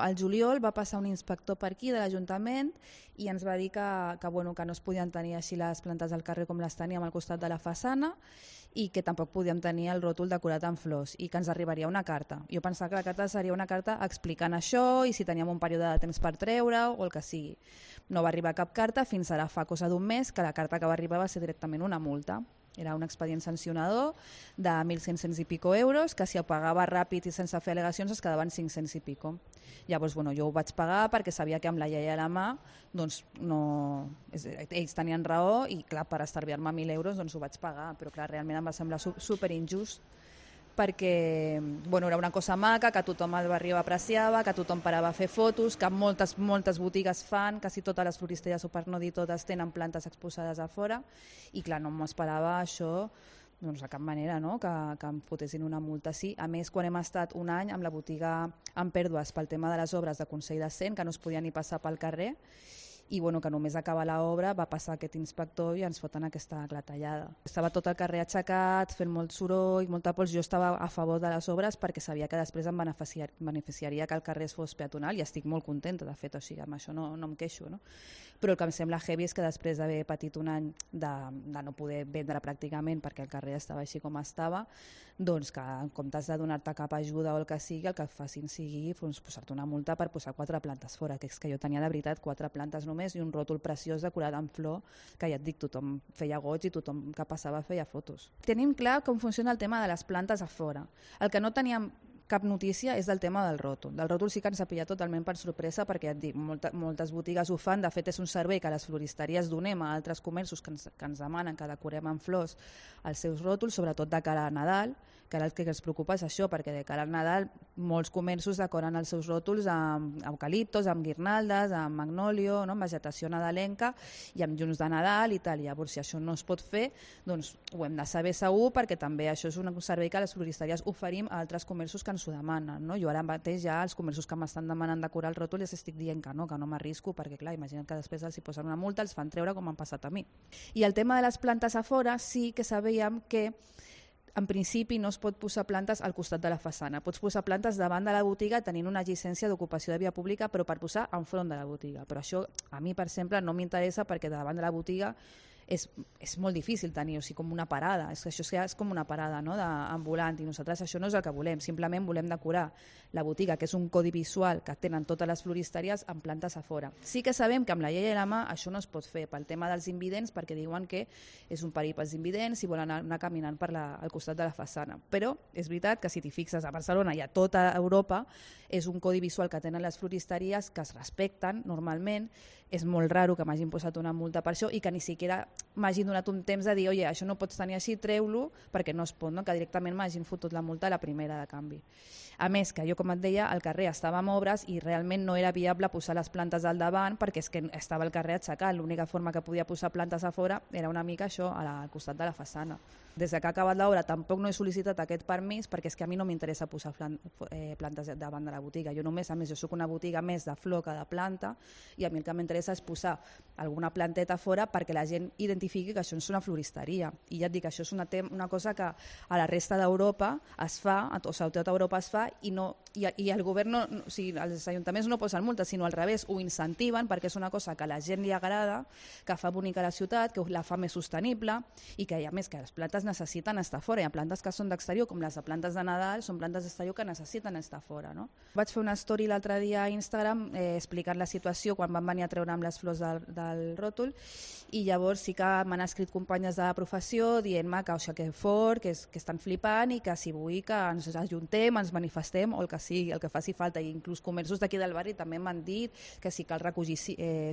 Al juliol va passar un inspector per aquí de l'Ajuntament i ens va dir que no es podien tenir així les plantes al carrer com les teníem al costat de la façana i que tampoc podíem tenir el ròtol decorat amb flors i que ens arribaria una carta. Jo pensava que la carta seria una carta explicant això i si teníem un període de temps per treure-ho o el que sigui. No va arribar cap carta fins ara fa cosa d'un mes que la carta que va arribar va ser directament una multa. Era un expedient sancionador de 1.500 i pico euros que si ho pagava ràpid i sense fer al·legacions es quedaven 500 i pico. Llavors jo ho vaig pagar perquè sabia que amb la llei a la mà doncs ells tenien raó i clar, per estalviar-me 1.000 euros doncs ho vaig pagar, però clar, realment em va semblar superinjust perquè era una cosa maca, que tothom al barri ho apreciava, que tothom parava a fer fotos, que moltes botigues fan, quasi totes les floristes, o per no dir totes, tenen plantes exposades a fora i clar, no m'esperava això de cap manera, no? que em fotessin una multa. Sí, a més, quan hem estat un any amb la botiga en pèrdues pel tema de les obres de Consell de Cent, que no es podia ni passar pel carrer, i que només acaba l'obra va passar aquest inspector i ens foten aquesta clatellada. Estava tot el carrer aixecat, fent molt soroll, molta pols. Jo estava a favor de les obres perquè sabia que després em beneficiaria que el carrer fos peatonal i estic molt contenta, de fet, o sigui, amb això no em queixo. No? Però el que em sembla heavy és que després d'haver patit un any de no poder vendre pràcticament perquè el carrer estava així com estava, doncs que en comptes de donar-te cap ajuda o el que sigui, el que facin sigui posar-te una multa per posar 4 plantes fora, que és que jo tenia de veritat 4 plantes només i un ròtol preciós decorat amb flor, que ja et dic, tothom feia goig i tothom que passava feia fotos. Tenim clar com funciona el tema de les plantes a fora. El que no teníem cap notícia és del tema del ròtol. Del ròtol sí que ens ha pillat totalment per sorpresa perquè, ja et dic, moltes botigues ho fan. De fet, és un servei que les floristeries donem a altres comerços que ens demanen que decorem amb flors els seus ròtols, sobretot de cara a Nadal, que ara el que ens preocupa és això, perquè de cara al Nadal molts comerços decoren els seus ròtols amb eucaliptos, amb guirnaldes, amb magnòlio, no? Amb vegetació nadalenca i amb llums de Nadal i tal. Llavors, si això no es pot fer, doncs ho hem de saber segur perquè també això és un servei que les floristeries oferim a altres comerços que ens ho demanen. No? Jo ara mateix ja els comerços que m'estan demanant decorar el ròtol els estic dient que no m'arrisco perquè clar, imagina't que després els hi posen una multa, els fan treure com m'han passat a mi. I el tema de les plantes a fora sí que sabíem que en principi no es pot posar plantes al costat de la façana. Pots posar plantes davant de la botiga tenint una llicència d'ocupació de via pública però per posar enfront de la botiga. Però això a mi, per exemple, no m'interessa perquè davant de la botiga és molt difícil tenir, o sigui, com una parada. Això és com una parada, no? Ambulant i nosaltres això no és el que volem. Simplement volem decorar la botiga, que és un codi visual que tenen totes les floristeries amb plantes a fora. Sí que sabem que amb la llei a la mà això no es pot fer pel tema dels invidents perquè diuen que és un perill pels invidents i volen anar caminant al costat de la façana. Però és veritat que si t'hi fixes a Barcelona i a tota Europa és un codi visual que tenen les floristeries que es respecten normalment. És molt raro que m'hagin posat una multa per això i que ni siquiera m'hagin donat un temps de dir oye, això no pots tenir així, treu-lo, perquè no es pot, no? Que directament m'hagin fotut la multa a la primera de canvi. A més, que jo, com et deia, al carrer estava en obres i realment no era viable posar les plantes al davant perquè és que estava el carrer aixecat. L'única forma que podia posar plantes a fora era una mica això, al costat de la façana. Des que ha acabat l'obra tampoc no he sol·licitat aquest permís perquè és que a mi no m'interessa posar plantes davant de la botiga. Jo només, a més, jo soc una botiga més de flor que de planta i a mi el que m'interessa és posar alguna planteta fora perquè la gent identifiqui que això és una floristeria. I ja et dic, això és una cosa que a la resta d'Europa es fa, o sigui, a tota Europa es fa i el govern, o sigui, els ajuntaments no posen multes, sinó al revés, ho incentiven perquè és una cosa que a la gent li agrada, que fa bonica la ciutat, que la fa més sostenible i que, a més, que les plantes necessiten estar fora. Hi ha plantes que són d'exterior, com les de plantes de Nadal, són plantes d'exterior que necessiten estar fora. No? Vaig fer una story l'altre dia a Instagram explicant la situació quan van venir a treure amb les flors del ròtol i llavors sí que m'han escrit companyes de la professió dient-me que fort, que estan flipant i que si vull que ens ajuntem, ens manifestem o el que sigui, el que faci falta. I inclús comerços d'aquí del barri també m'han dit que si cal recollir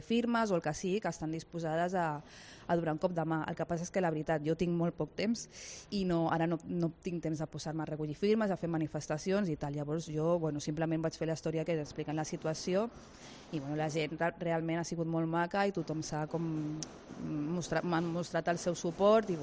firmes o el que sigui, que estan disposades a donar un cop de mà. El que passa és que la veritat, jo tinc molt poc temps i ara no tinc temps de posar-me a recollir firmes, a fer manifestacions i tal. Llavors jo simplement vaig fer la història que expliquen la situació i la gent realment ha sigut molt maca i tothom m'han mostrat el seu suport i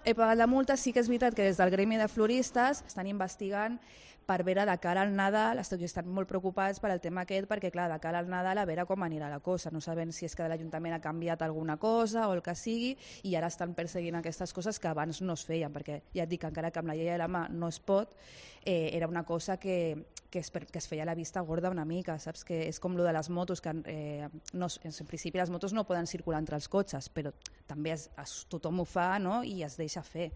He pagat la multa, sí que és veritat que des del gremi de floristes estan investigant per veure de cara al Nadal, estan molt preocupats per al tema aquest, perquè clar, de cara al Nadal a veure com anirà la cosa, no sabem si és que l'Ajuntament ha canviat alguna cosa o el que sigui, i ara estan perseguint aquestes coses que abans no es feien, perquè ja et dic que encara que amb la llei a la mà no es pot, era una cosa que es feia a la vista gorda una mica, saps? Que és com lo de les motos, que en principi les motos no poden circular entre els cotxes, però també tothom ho fa, no? I es deixa fer.